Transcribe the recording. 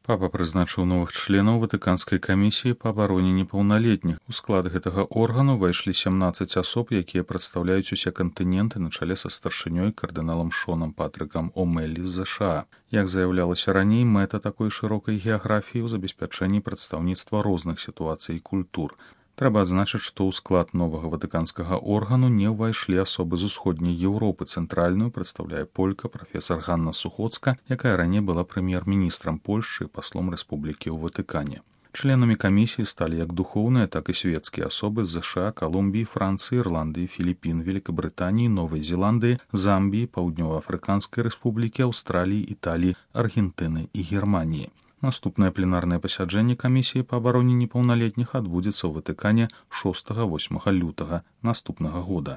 Папа прызначыў новых членаў ватыканскай камісіі па абароне непаўналетніх. У склад гэтага органу ўвайшлі 17 асоб, якія прадстаўляюць усе кантыненты на чале са старшынёй кардыналам Шонам Патрыкам О'Мэллі з ЗША. Як заяўлялася раней, мэта такой шырокай геаграфіі ў забеспячэнні прадстаўніцтва розных сітуацый і культур. Трэба адзначыць, што ў склад новага ватыканскага органу не ўвайшлі асобы з усходняй Еўропы. Цэнтральную прадстаўляе полька прафесар Ганна Сухоцка, якая раней была прэм'ер-міністрам Польшчы і паслом рэспублікі ў Ватыкане. Членамі камісіі сталі як духоўныя, так і светскія асобы з ЗША, Калумбіі, Францыі, Ірландыі, Філіпін, Великабрытаніі, Новай Зеландыі, Замбіі, Паўднёва-Афрыканскай рэспублікі, Аўстраліі, Італіі, Аргентыны і Германіі. Наступнае пленарнае пасяджэнне камісіі па абароне непаўналетніх адбудзецца ў Ватыкане 6-8 лютага наступнага года.